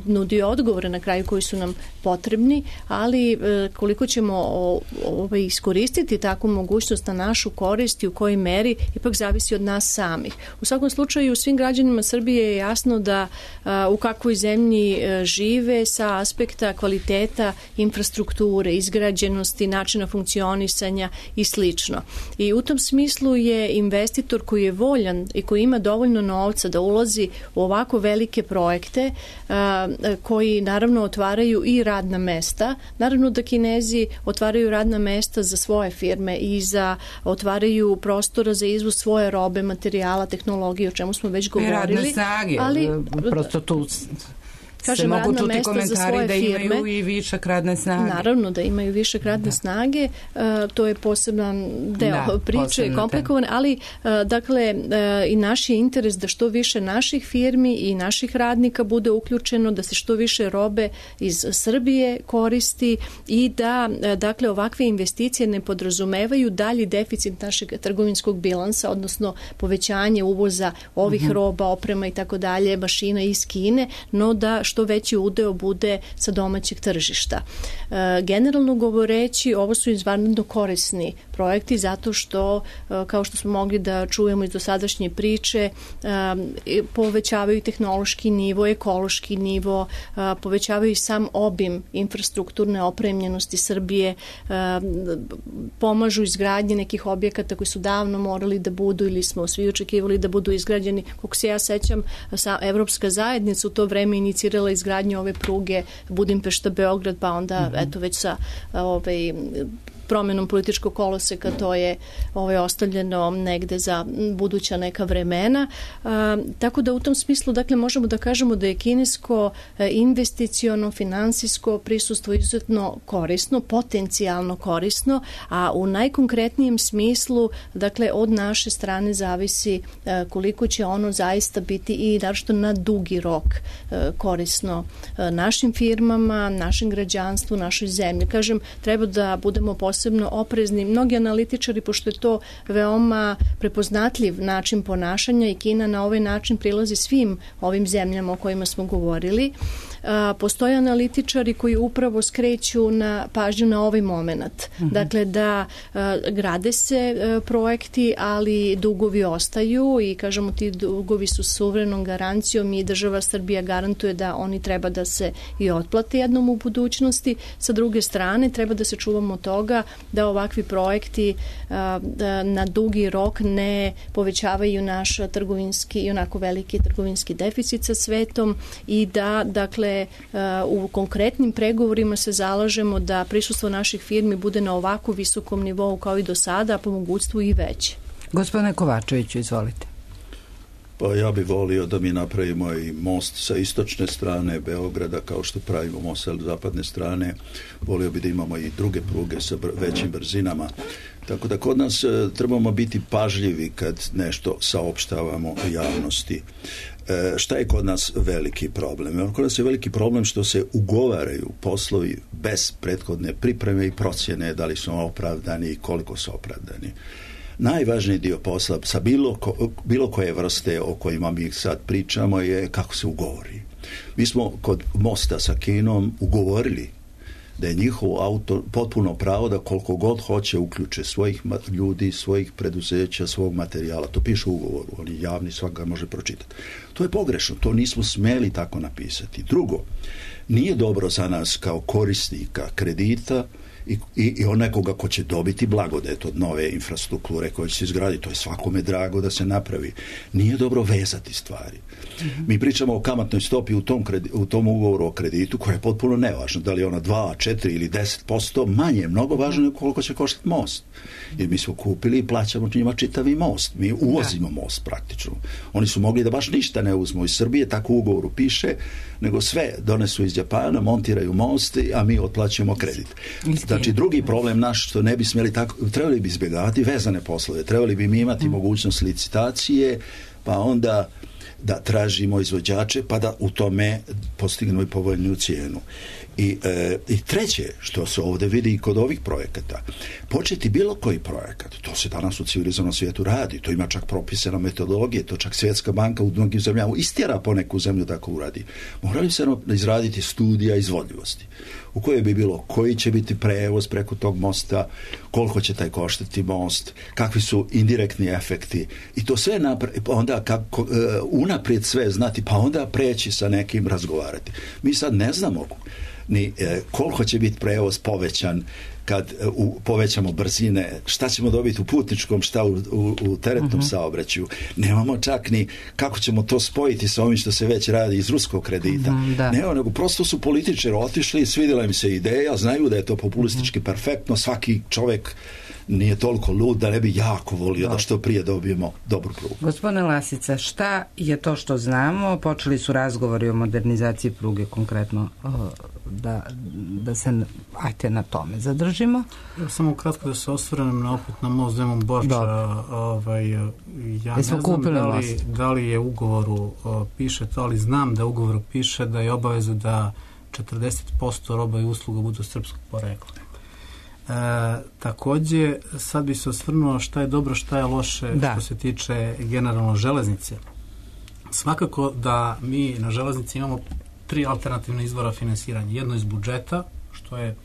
Speaker 4: nudi odgovore na kraju koji su nam potrebni, ali koliko ćemo iskoristiti takvu mogućnost na našu korist i u kojoj meri, ipak zavisi od nas samih. U svakom slučaju, svim građanima Srbije je jasno da u kakvoj zemlji žive sa aspekta kvaliteta infrastrukture, izgrađenosti, načina funkcionisanja i slično. I u tom smislu je investitor koji je voljan i koji ima dovoljno novca da ulazi u ovako velike projekte koji naravno otvaraju i radna mesta. Naravno da Kinezi otvaraju radna mesta za svoje firme i otvaraju prostora za izvoz svoje robe, materijala, tehnologije, o čemu smo već govorili.
Speaker 3: I radne snage, prosto tu se mogu čuti komentari da imaju i višak radne snage.
Speaker 4: Naravno da imaju višak radne snage, to je poseban deo priče, komplikovan, ali dakle i naš je interes da što više naših firmi i naših radnika bude uključeno, da se što više robe iz Srbije koristi i da dakle ovakve investicije ne podrazumevaju dalji deficit našeg trgovinskog bilansa, odnosno povećanje uvoza ovih roba, oprema i tako dalje, mašina iz Kine, no da što veći udeo bude sa domaćeg tržišta. Generalno govoreći, ovo su izvanredno korisni projekti zato što, kao što smo mogli da čujemo iz dosadašnje priče, povećavaju tehnološki nivo, ekološki nivo, povećavaju sam obim infrastrukturne opremljenosti Srbije, pomažu izgradnje nekih objekata koji su davno morali da budu ili smo svi očekivali da budu izgrađeni. Kako se ja sećam, Evropska zajednica u to vreme inicirala izgradnju ove pruge Budimpešta-Beograd, pa onda eto već sa promjenom političkog koloseka to je ostavljeno negde za buduća neka vremena. Tako da u tom smislu dakle možemo da kažemo da je kinesko investiciono, finansijsko prisustvo izuzetno korisno, potencijalno korisno, a u najkonkretnijem smislu dakle od naše strane zavisi koliko će ono zaista biti i naročito na dugi rok korisno našim firmama, našem građanstvu, našoj zemlji. Kažem, treba da budemo posebno oprezni. Mnogi analitičari, pošto je to veoma prepoznatljiv način ponašanja i Kina na ovaj način prilazi svim ovim zemljama o kojima smo govorili, postoje analitičari koji upravo skreću na pažnju na ovaj moment. Dakle, da grade se projekti, ali dugovi ostaju i kažemo ti dugovi su suverenom garancijom i država Srbija garantuje da oni treba da se i otplate jednom u budućnosti. Sa druge strane, treba da se čuvamo toga da ovakvi projekti na dugi rok ne povećavaju naš trgovinski i onako veliki trgovinski deficit sa svetom i da, dakle, u konkretnim pregovorima se zalažemo da prisustvo naših firmi bude na ovako visokom nivou kao i do sada, a po mogućstvu i veće.
Speaker 3: Gospodine Kovačeviću, izvolite.
Speaker 2: Pa ja bih volio da mi napravimo i most sa istočne strane Beograda, kao što pravimo most sa zapadne strane. Volio bih da imamo i druge pruge sa većim brzinama. Tako da kod nas trebamo biti pažljivi kad nešto saopštavamo javnosti. šta je kod nas veliki problem? Kod nas je veliki problem što se ugovaraju poslovi bez prethodne pripreme i procjene da li su opravdani i koliko su opravdani. Najvažniji dio posla sa bilo koje vrste o kojima mi sad pričamo je kako se ugovori. Mi smo kod mosta sa Kinom ugovorili da je njihovo auto potpuno pravo da koliko god hoće uključe svojih ljudi, svojih preduzeća, svog materijala. To piše u ugovoru, on je javni, svak ga može pročitati. To je pogrešno, to nismo smeli tako napisati. Drugo, nije dobro za nas kao korisnika kredita i nekoga ko će dobiti blagodet od nove infrastrukture koje će se izgraditi. To je svakome drago da se napravi. Nije dobro vezati stvari. Mi pričamo o kamatnoj stopi u tom ugovoru o kreditu koja je potpuno nevažna. Da li je ona 2, 4 ili 10%, manje je mnogo važno nego koliko će koštati most. Jer mi smo kupili i plaćamo njima čitavi most. Mi uvozimo most praktično. Oni su mogli da baš ništa ne uzmu iz Srbije, tako u ugovoru piše, nego sve donesu iz Japana, montiraju most, a mi otplaćujemo kredit. Znači, drugi problem naš što ne bi smjeli tako, trebali bi izbjegavati vezane poslove, trebali bi mi imati mogućnost licitacije, pa onda da tražimo izvođače, pa da u tome postignemo i povoljniju cijenu. I treće, što se ovdje vidi i kod ovih projekata, početi bilo koji projekat, to se danas u civilizovanom svijetu radi, to ima čak propisane metodologije, to čak Svjetska banka u mnogim zemljama istjera poneku zemlju tako uradi. Morali se izraditi studija izvodljivosti, u kojoj bi bilo koji će biti prevoz preko tog mosta, koliko će taj koštati most, kakvi su indirektni efekti i to sve onda unaprijed sve znati, pa onda preći sa nekim razgovarati. Mi sad ne znamo ni koliko će biti prevoz povećan kad povećamo brzine, šta ćemo dobiti u putničkom, šta u teretnom saobraćaju. Nemamo čak ni kako ćemo to spojiti sa ovim što se već radi iz ruskog kredita. Nego prosto su političari otišli, svidjela im se ideja, znaju da je to populistički perfektno, svaki čovjek nije toliko lud da ne bi jako volio da što prije dobijemo dobru prugu.
Speaker 3: Gospodine Lasica, šta je to što znamo? Počeli su razgovori o modernizaciji pruge konkretno, da se ajte na tome zadržimo.
Speaker 5: Samo kratko da se osvrnem na most Zemun Borča. Ja ne znam da li je u ugovoru piše to, ali znam da u ugovoru piše da je obaveza da 40% roba i usluga budu srpskog porekla. Također, sad bi se osvrnuo šta je dobro, šta je loše što se tiče generalno železnice. Svakako da mi na železnici imamo 3 alternativne izvora finansiranja. Jedno iz budžeta, što je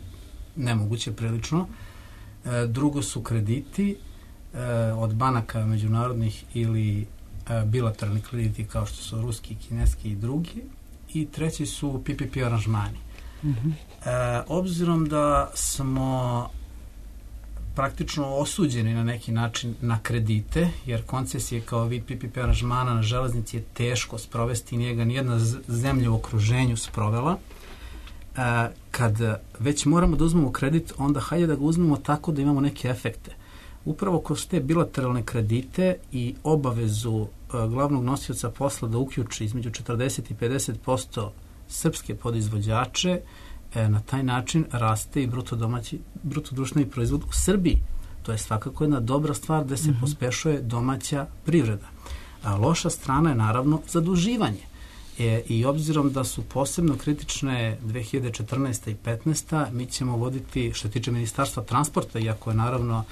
Speaker 5: nemoguće prilično. Drugo su krediti od banaka međunarodnih ili bilateralni krediti kao što su ruski, kineski i drugi. I treći su PPP aranžmani. Obzirom da smo praktično osuđeni na neki način na kredite, jer koncesije kao vid PPP aranžmana na železnici je teško sprovesti, nije ga nijedna zemlja u okruženju sprovela. Kad već moramo da uzmemo kredit, onda hajde da ga uzmemo tako da imamo neke efekte. Upravo kroz te bilateralne kredite i obavezu glavnog nosioca posla da uključi između 40 i 50% srpske podizvođače, na taj način raste i bruto društveni proizvod u Srbiji. To je svakako jedna dobra stvar da se pospešuje domaća privreda. A loša strana je naravno zaduživanje. I obzirom da su posebno kritične 2014. i 2015. mi ćemo voditi, što tiče Ministarstva transporta, iako je naravno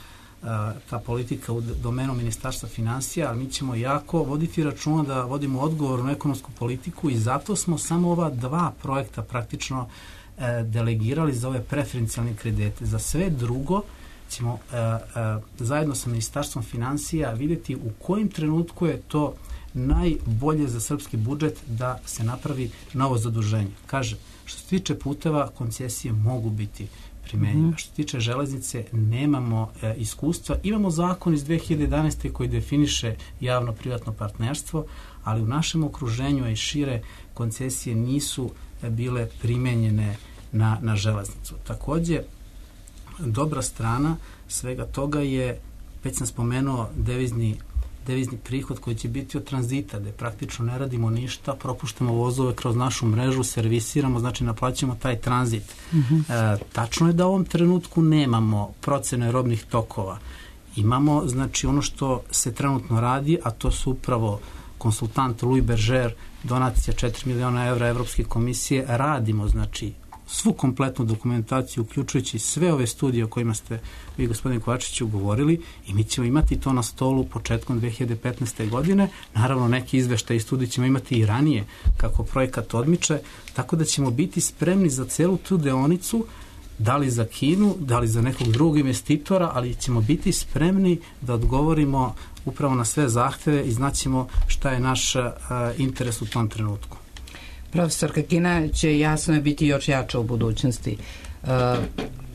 Speaker 5: ta politika u domenu Ministarstva finansija, ali mi ćemo jako voditi računa da vodimo odgovornu ekonomsku politiku i zato smo samo ova 2 projekta praktično delegirali za ove preferencijalne kredite. Za sve drugo ćemo zajedno sa Ministarstvom finansija vidjeti u kojim trenutku je to najbolje za srpski budžet da se napravi novo zaduženje. Kaže, što se tiče puteva, koncesije mogu biti primenjive. Što se tiče železnice, nemamo iskustva. Imamo zakon iz 2011. koji definiše javno-privatno partnerstvo, ali u našem okruženju i šire koncesije nisu bile primenjene na železnicu. Također, dobra strana svega toga je, već sam spomenuo, devizni prihod koji će biti od tranzita, gde praktično ne radimo ništa, propuštamo vozove kroz našu mrežu, servisiramo, znači naplaćamo taj tranzit. Tačno je da u ovom trenutku nemamo procene robnih tokova. Imamo, znači, ono što se trenutno radi, a to su upravo konsultant Louis Berger, donacija 4 miliona evra Evropske komisije, radimo znači svu kompletnu dokumentaciju, uključujući sve ove studije o kojima ste vi, gospodine Kovačiću, govorili, i mi ćemo imati to na stolu početkom 2015. godine. Naravno, neki izveštaj i studije ćemo imati i ranije kako projekat odmiče, tako da ćemo biti spremni za celu tu deonicu, da li za Kinu, da li za nekog drugog investitora, ali ćemo biti spremni da odgovorimo upravo na sve zahteve i znaćemo šta je naš interes u tom trenutku.
Speaker 3: Profesorka, Kina će jasno biti još jača u budućnosti.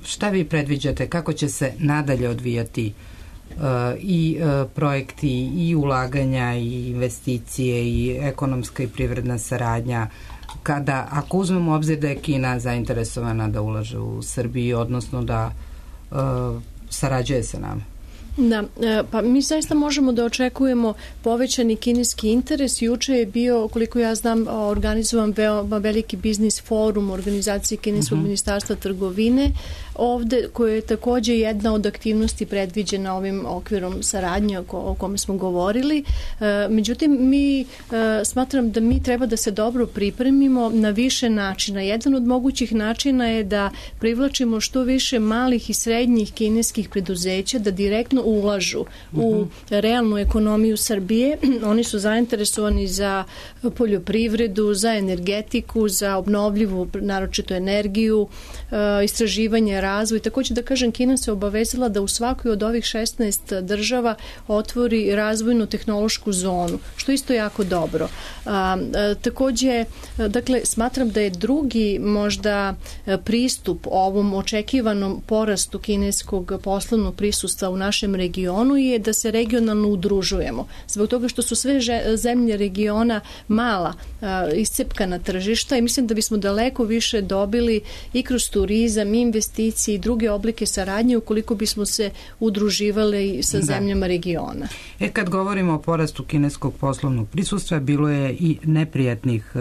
Speaker 3: Šta vi predviđate, kako će se nadalje odvijati i projekti, i ulaganja, i investicije, i ekonomska i privredna saradnja, ako uzmemo u obzir da je Kina zainteresovana da ulaže u Srbiji, odnosno da sarađuje sa nama?
Speaker 4: Da, pa mi zaista možemo da očekujemo povećani kineski interes. Juče je bio, koliko ja znam, organizovan veoma veliki biznis forum organizacije Kineskog ministarstva trgovine ovde, koja je takođe jedna od aktivnosti predviđena ovim okvirom saradnje o kome smo govorili. Međutim, mi smatram da mi treba da se dobro pripremimo na više načina. Jedan od mogućih načina je da privlačimo što više malih i srednjih kineskih preduzeća da direktno ulažu u realnu ekonomiju Srbije. Oni su zainteresovani za poljoprivredu, za energetiku, za obnovljivu, naročito energiju, istraživanje, razvoj. Takođe da kažem, Kina se obavezala da u svakoj od ovih 16 država otvori razvojnu tehnološku zonu, što isto jako dobro. Takođe, dakle, smatram da je drugi možda pristup ovom očekivanom porastu kineskog poslovnog prisustva u našem regionu je da se regionalno udružujemo. Zbog toga što su sve zemlje regiona mala, iscepkana tržišta, i mislim da bismo daleko više dobili i kroz turizam, investicije i druge oblike saradnje ukoliko bismo se udruživali sa zemljama regiona.
Speaker 3: Kad govorimo o porastu kineskog poslovnog prisustva, bilo je i neprijatnih,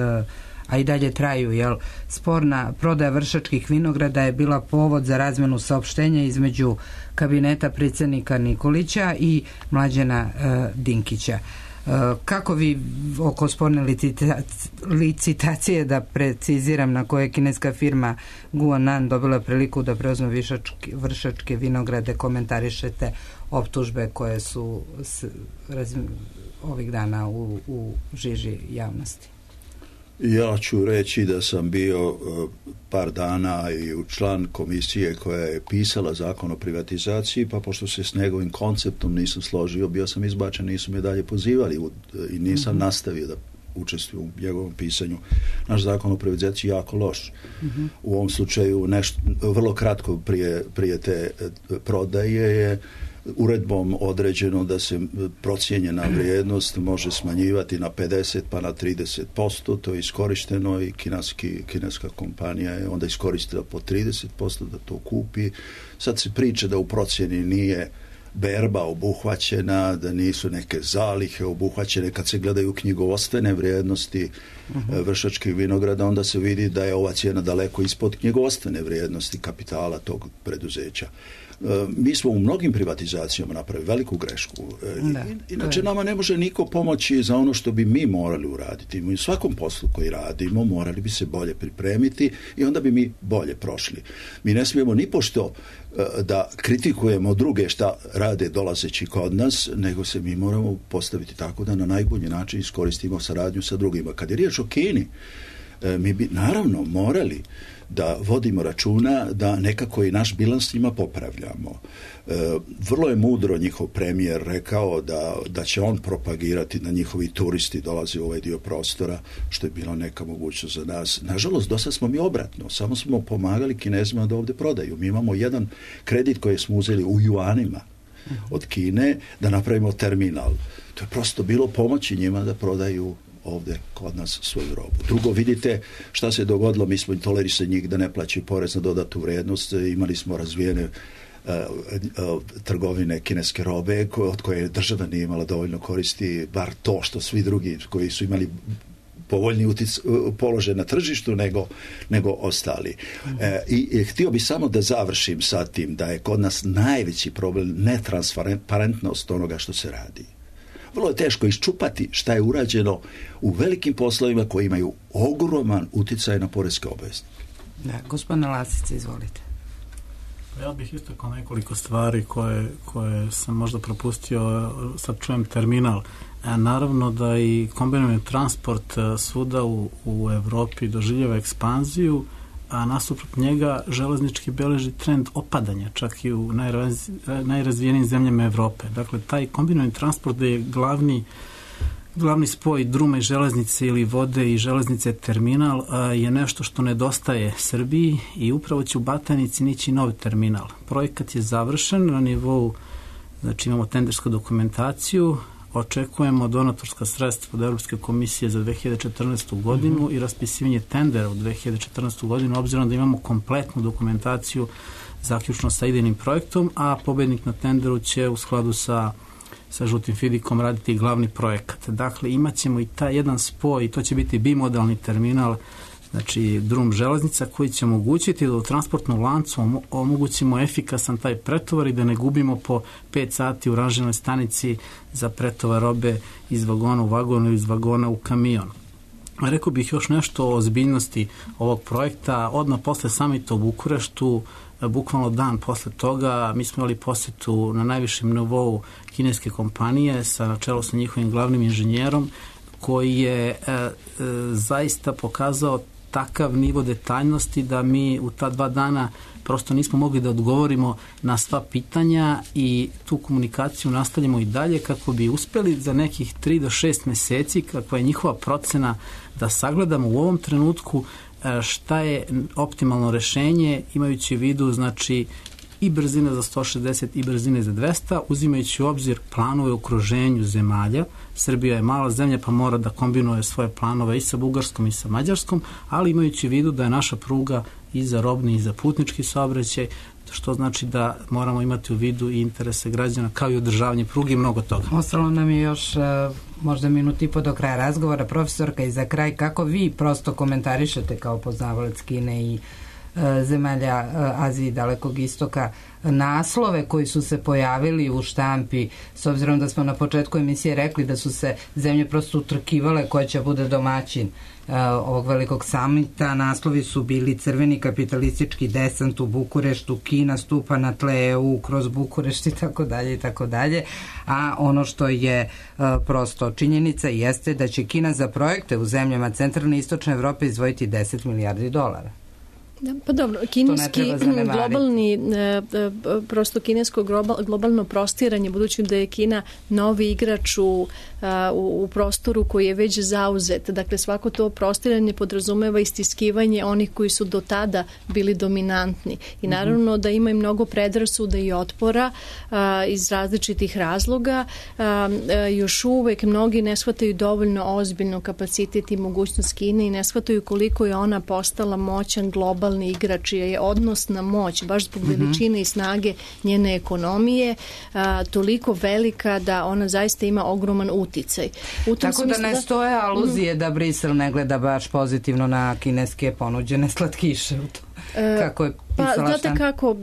Speaker 3: a i dalje traju, sporna prodaja Vršačkih vinograda je bila povod za razmenu saopštenja između kabineta predsjednika Nikolića i Mlađana Dinkića. Kako vi oko sporne licitacije, da preciziram, na koje kineska firma Guanan dobila priliku da preuzme Vršačke vinograde, komentarišete optužbe koje su ovih dana u žiži javnosti?
Speaker 2: Ja ću reći da sam bio par dana i u član komisije koja je pisala zakon o privatizaciji, pa pošto se s njegovim konceptom nisam složio, bio sam izbačen, nisu me dalje pozivali i nisam nastavio da učestvuju u njegovom pisanju. Naš zakon o privatizaciji je jako loš. U ovom slučaju vrlo kratko prije te prodaje je uredbom određeno da se procijenjena vrijednost može smanjivati na 50 pa na 30%, to je iskorišteno i kineska kompanija je onda iskoristila po 30% da to kupi. Sad se priča da u procjeni nije berba obuhvaćena, da nisu neke zalihe obuhvaćene. Kad se gledaju knjigovodstvene vrijednosti Vršačkih vinograda, onda se vidi da je ova cijena daleko ispod knjigovodstvene vrijednosti kapitala tog preduzeća. Mi smo u mnogim privatizacijama napravili veliku grešku. Inače, nama ne može niko pomoći za ono što bi mi morali uraditi. Mi u svakom poslu koji radimo morali bi se bolje pripremiti i onda bi mi bolje prošli. Mi ne smijemo ni pošto da kritikujemo druge šta rade dolazeći kod nas, nego se mi moramo postaviti tako da na najbolji način iskoristimo saradnju sa drugima. Kad je riječ o Kini, mi bi naravno morali da vodimo računa da nekako i naš bilans njima popravljamo. Vrlo je mudro njihov premijer rekao da će on propagirati da njihovi turisti dolaze u ovaj dio prostora, što je bila neka mogućnost za nas. Nažalost, do sad smo mi obratno. Samo smo pomagali Kinezima da ovdje prodaju. Mi imamo jedan kredit koji smo uzeli u juanima od Kine da napravimo terminal. To je prosto bilo pomoći njima da prodaju ovdje kod nas svoju robu. Drugo, vidite šta se dogodilo, mi smo tolerisali njih da ne plaćaju porez na dodatu vrijednost, imali smo razvijene trgovine kineske robe od koje država nije imala dovoljno koristi, bar to što svi drugi koji su imali povoljni položaj na tržištu nego ostali. I htio bi samo da završim sa tim da je kod nas najveći problem netransparentnost onoga što se radi.
Speaker 16: vrlo je teško iščupati šta je urađeno u velikim poslovima koji imaju ogroman uticaj na poreske obveznike.
Speaker 3: Da, gospodine Lasice, izvolite.
Speaker 5: Ja bih istakao nekoliko stvari koje sam možda propustio, sad čujem terminal. Naravno da i kombinovani transport svuda u Evropi doživljava ekspanziju, a nasuprot njega železnički beleži trend opadanja, čak i u najrazvijenijim zemljama Evrope. Dakle, taj kombinovani transport je glavni spoj druma i železnice ili vode i železnice terminal je nešto što nedostaje Srbiji i upravo će u Batajnici nići novi terminal. Projekat je završen na nivou, znači imamo tendersku dokumentaciju, očekujemo donatorska sredstva od Evropske komisije za 2014. godinu i raspisivanje tendera u 2014. godinu, obzirom da imamo kompletnu dokumentaciju zaključno sa idejnim projektom, a pobednik na tenderu će u skladu sa žutim fidikom raditi glavni projekat. Dakle, imat ćemo i taj jedan spoj i to će biti bimodalni terminal, znači drum železnica koji će omogućiti da u transportnom lancu omogućimo efikasan taj pretovar i da ne gubimo po 5 sati u ranžirnoj stanici za pretovar robe iz vagona u vagon ili iz vagona u kamion. Rekao bih još nešto o ozbiljnosti ovog projekta. Odmah posle samita u Bukureštu, bukvalno dan posle toga, mi smo imali posetu na najvišem nivou kineske kompanije na čelu sa njihovim glavnim inženjerom koji je zaista pokazao takav nivo detaljnosti da mi u ta 2 dana prosto nismo mogli da odgovorimo na sva pitanja i tu komunikaciju nastavljamo i dalje kako bi uspeli za nekih 3 do 6 meseci, kakva je njihova procena, da sagledamo u ovom trenutku šta je optimalno rešenje, imajući u vidu znači i brzine za 160 i brzine za 200, uzimajući u obzir planove u okruženju zemalja. Srbija je mala zemlja pa mora da kombinuje svoje planove i sa Bugarskom i sa Mađarskom, ali imajući u vidu da je naša pruga i za robni i za putnički saobraćaj, što znači da moramo imati u vidu i interese građana kao i održavanje pruge i mnogo toga.
Speaker 3: Ostalo nam je još možda minut i po do kraja razgovora. Profesorka, i za kraj, kako vi prosto komentarišete kao poznavalac Kine i zemalja Azije i Dalekog istoka naslove koji su se pojavili u štampi, s obzirom da smo na početku emisije rekli da su se zemlje prosto utrkivale koja će bude domaćin ovog velikog samita. Naslovi su bili crveni kapitalistički desant u Bukureštu, Kina stupa na tle EU kroz Bukurešt i tako dalje, a ono što je prosto činjenica jeste da će Kina za projekte u zemljama centralne i istočne Evrope izdvojiti 10 milijardi dolara.
Speaker 4: Da, pa dobro, kineski globalni, prosto kinesko globalno prostiranje, budući da je Kina novi igrač u prostoru koji je već zauzet. Dakle, svako to prostiranje podrazumeva istiskivanje onih koji su do tada bili dominantni. I naravno da ima i mnogo predrasuda i otpora iz različitih razloga. Još uvek mnogi ne shvataju dovoljno ozbiljno kapacitet i mogućnost Kine i ne shvataju koliko je ona postala moćan globalni igrač, je odnos na moć, baš zbog veličine i snage njene ekonomije, toliko velika da ona zaista ima ogroman uticaj.
Speaker 3: Tako da ne stoje aluzije da Brisel ne gleda baš pozitivno na kineske ponuđene slatkiše u to. Kako je
Speaker 4: pa znate kako,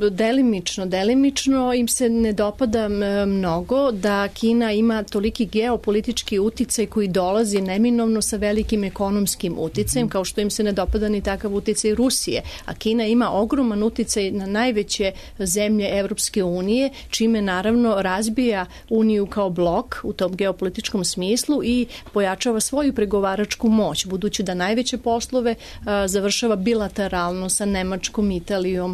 Speaker 4: delimično im se ne dopada mnogo da Kina ima toliki geopolitički uticaj koji dolazi neminovno sa velikim ekonomskim uticajem, kao što im se ne dopada ni takav uticaj Rusije, a Kina ima ogroman uticaj na najveće zemlje Evropske unije, čime naravno razbija Uniju kao blok u tom geopolitičkom smislu i pojačava svoju pregovaračku moć, budući da najveće poslove završava bilateralno sa Nemačkom, Italijom,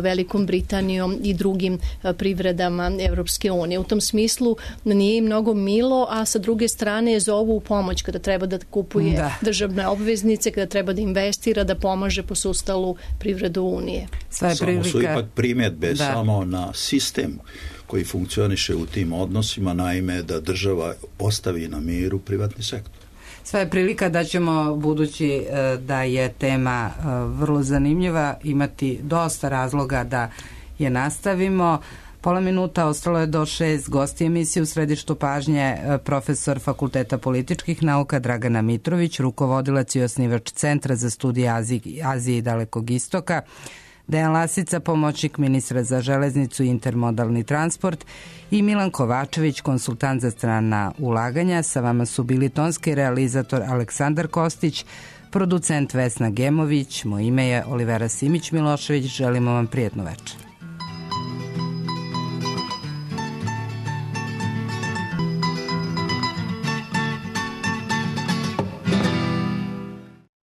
Speaker 4: Velikom Britanijom i drugim privredama Evropske unije. U tom smislu nije im mnogo milo, a sa druge strane zovu u pomoć kada treba da kupuje državne obveznice, kada treba da investira, da pomaže po sustavu privredu Unije.
Speaker 2: Samo su ipak primjedbe samo na sistem koji funkcioniše u tim odnosima, naime da država ostavi na miru privatni sektor.
Speaker 3: Sva je prilika da ćemo, budući da je tema vrlo zanimljiva, imati dosta razloga da je nastavimo. Pola minuta, ostalo je do 6. Gosti emisije u središtu pažnje profesor Fakulteta političkih nauka Dragana Mitrović, rukovodilac i osnivač Centra za studije Azije i Dalekog istoka, Dejan Lasica, pomoćnik ministra za železnicu i intermodalni transport, i Milan Kovačević, konsultant za strana ulaganja. Sa vama su bili tonski realizator Aleksandar Kostić, producent Vesna Gemović. Moje ime je Olivera Simić-Milošević. Želimo vam prijetno večer.